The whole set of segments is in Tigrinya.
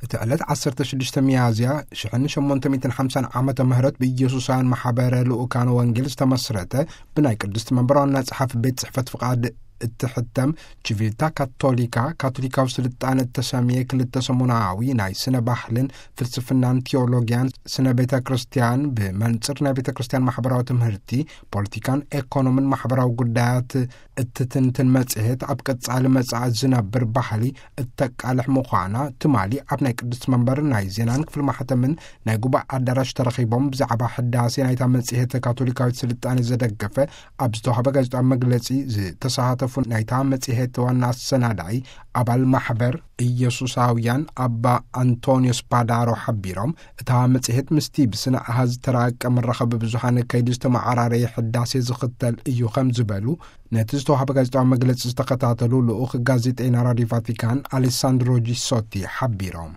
እቲ ዕለት ዓሰርተ ሽዱሽተ ሚያዝያ ሽሕን ሸሞንተ ሚእትን ሓምሳን ዓመተ ምህረት ብኢየሱሳውያን ማሕበረ ልኡካን ወንጌል ዝተመስረተ፣ ብናይ ቅድስቲ መንበር ዋና ጸሓፊ ቤት ጽሕፈት ፍቓድ እትሕተም ቺቪታ ካቶሊካ፣ ካቶሊካዊ ስልጣነ እተሰምየ ክልተ ሰሙናዊ ናይ ስነ ባህልን ፍልስፍናን ቲዮሎጊያን ስነ ቤተ ክርስቲያን፣ ብመንጽር ናይ ቤተ ክርስቲያን ማሕበራዊ ትምህርቲ፣ ፖለቲካን ኤኮኖምን ማሕበራዊ ጉዳያት እትትንትን መጽሔት፣ ኣብ ቀጻሊ መጻኢ ዝነብር ባህሊ እተቃልሕ ምዃና ትማሊ ኣብ ናይ ቅድስቲ መንበር ናይ ዜናን ክፍሊ ማሕተምን ናይ ጉባኤ ኣዳራሽ ተረኺቦም ብዛዕባ ሕዳሴ ናይታ መጽሔት ካቶሊካዊት ስልጣኔ ዘደገፈ ኣብ ዝተዋህበ ጋዜጣዊ መግለጺ ዝተሳተፉ ናይታ መጽሔት ዋና ኣሰናዳኢ ኣባል ማሕበር ኢየሱሳውያን ኣባ ኣንቶንዮ ስፓዳሮ ሓቢሮም፣ እታ መጽሔት ምስቲ ብስነ ኣሃዝ ዝተራቀ መራኸቢ ብዙሃን ከይዱ ዝተመዓራረየ ሕዳሴ ዝኽተል እዩ ከም ዝበሉ ነቲ ዝተዋህበ ጋዜጣዊ መግለጺ ዝተኸታተሉ ልኡኽ ጋዜጠይና ራድዮ ቫቲካን ኣሌሳንድሮ ጂሶቲ ሓቢሮም።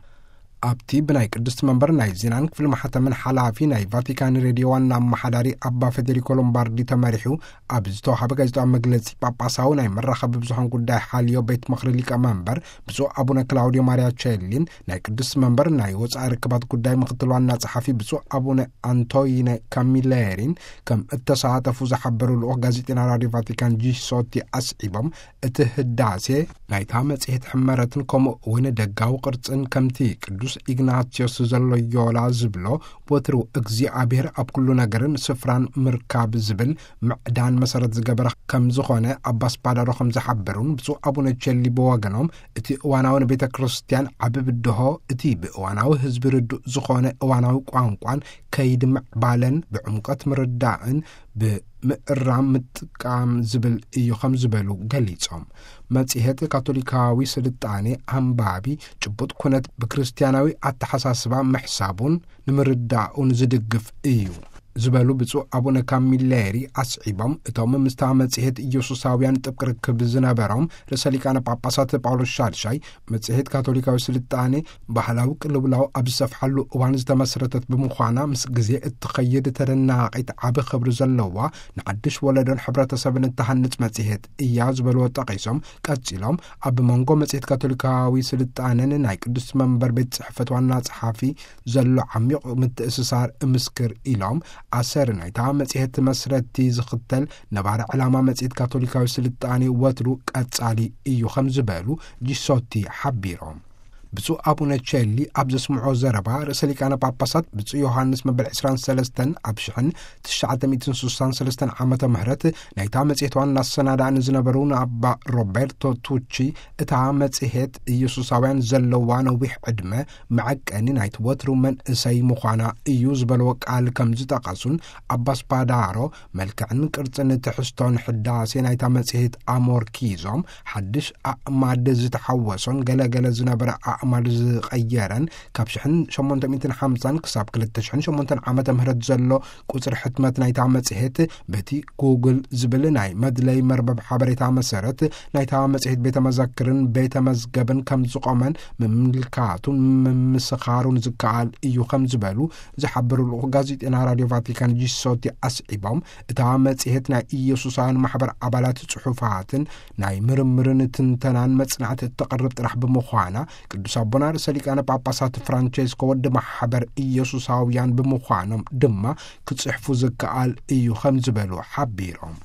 ኣብቲ ብናይ ቅድስቲ መንበር ናይ ዜናን ክፍሊ ማሕተምን ሓላፊ ናይ ቫቲካን ሬድዮ ዋና ኣመሓዳሪ ኣባ ፌዴሪኮ ሎምባርዲ ተመሪሑ ኣብ ዝተዋህበ ጋዜጣዊ መግለጺ፣ ጳጳሳዊ ናይ መራኸቢ ብዙሃን ጉዳይ ሓልዮ ቤት ምኽሪ ሊቀ መንበር ብፁዕ ኣቡነ ክላውዲዮ ማሪያ ቸሊን ናይ ቅድስቲ መንበር ናይ ወጻኢ ርክባት ጉዳይ ምኽትል ዋና ጸሓፊ ብፁዕ ኣቡነ ኣንቶይነ ካሚሌሪን ከም እተሳተፉ ዝሓበሩ ልኡኽ ጋዜጠይና ራድዮ ቫቲካን ጂሶቲ ኣስዒቦም፣ እቲ ህዳሴ ናይታ መጽሔት ሕመረትን ከምኡ እውን ደጋዊ ቅርጽን ከምቲ ቅዱስ ኢግናትዮስ ዘሎዮላ ዝብሎ፣ ወትሩ እግዚኣብሔር ኣብ ኩሉ ነገርን ስፍራን ምርካብ ዝብል ምዕዳን መሰረት ዝገበረ ከም ዝኾነ ኣባ ስፓዳሮ ከም ዝሓበሩን ብፁዕ ኣቡነ ቸሊ ብወገኖም እቲ እዋናዊ ንቤተ ክርስቲያን ዓቢ ብድሆ እቲ ብእዋናዊ ህዝቢ ርዱእ ዝኾነ እዋናዊ ቋንቋን ከይዲ ምዕባለን ብዕምቆት ምርዳእን ብምእራም ምጥቃም ዝብል እዩ ከም ዝበሉ ገሊጾም። መጽሔት ካቶሊካዊ ስልጣኔ ኣንባቢ ጭቡጥ ኩነት ብክርስቲያናዊ ኣተሓሳስባ ምሕሳቡን ንምርዳኡን ዝድግፍ እዩ ዝበሉ ብፁዕ ኣቡነ ካሚሌሪ ኣስዒቦም፣ እቶም ምስታ መጽሔት ኢየሱሳውያን ጥብቅ ርክብ ዝነበሮም ርእሰ ሊቃነ ጳጳሳት ጳውሎስ ሻድሻይ፣ መጽሔት ካቶሊካዊ ስልጣኔ ባህላዊ ቅልውላው ኣብ ዝሰፍሓሉ እዋን ዝተመስረተት ብምዃና፣ ምስ ግዜ እትኸይድ ተደናቒት ዓቢ ክብሪ ዘለዋ፣ ንሓድሽ ወለዶን ሕብረተሰብን እትሃንጽ መጽሔት እያ ዝበልዎ ጠቒሶም፣ ቀጺሎም ኣብ መንጎ መጽሔት ካቶሊካዊ ስልጣነን ናይ ቅድስቲ መንበር ቤት ጽሕፈት ዋና ጸሓፊ ዘሎ ዓሚቕ ምትእስሳር እምስክር ኢሎም፣ ኣሰር ናይታ መጽሔት መስረቲ ዝኽተል ነባሪ ዕላማ መጽሔት ካቶሊካዊ ስልጣኔ ወትሩ ቀጻሊ እዩ ከም ዝበሉ ጂሶቲ ሓቢሮም። ብፁዕ ኣቡነ ቸሊ ኣብ ዘስምዖ ዘረባ፣ ርእሰ ሊቃነ ጳጳሳት ብፁዕ ዮሃንስ መበል ዕስራን ሰለስተን ኣብ ሽሕን ትሽዓተ ሚእትን ስሳን ሰለስተን ዓመተ ምህረት ናይታ መጽሔት ዋና ኣሰናዳእን ዝነበሩ ንኣባ ሮቤርቶ ቱቺ፣ እታ መጽሔት ኢየሱሳውያን ዘለዋ ነዊሕ ዕድመ መዐቀኒ ናይቲ ወትሩ መንእሰይ ምዃና እዩ ዝበልዎ ቃል ከም ዝጠቐሱን፣ ኣባ ስፓዳሮ መልክዕን ቅርጽን ትሕዝቶን ሕዳሴ ናይታ መጽሔት ኣሞርኪዞም፣ ሓድሽ ኣእማድ ዝተሓወሶን ገለገለ ዝነበረ ኣእማድ ዝቐየረን፣ ካብ ሽሕን ሸሞንተ ሚእትን ሓምሳን ክሳብ ክልተ ሽሕን ሸሞንተን ዓመተ ምህረት ዘሎ ቁጽሪ ሕትመት ናይታ መጽሔት፣ በቲ ጉግል ዝብል ናይ መድለይ መርበብ ሓበሬታ መሰረት፣ ናይታ መጽሔት ቤተ መዘክርን ቤተ መዝገብን ከም ዝቖመን ምምልካቱን ምምስኻሩን ዝከኣል እዩ ከም ዝበሉ ዝሓበሩ ልኡኽ ጋዜጠና ራድዮ ቫቲካን ጂሶቲ ኣስዒቦም፣ እታ መጽሔት ናይ ኢየሱሳውያን ማሕበር ኣባላት ጽሑፋትን ናይ ምርምርን ትንተናን መጽናዕቲ እተቕርብ ጥራሕ ብምዃና፣ ቅዱስ ኣቦና ርእሰ ሊቃነ ጳጳሳት ፍራንቸስኮ ወዲ ማሕበር ኢየሱሳውያን ብምዃኖም ድማ ክጽሕፉ ዝከኣል እዩ ከም ዝበሉ ሓቢሮም።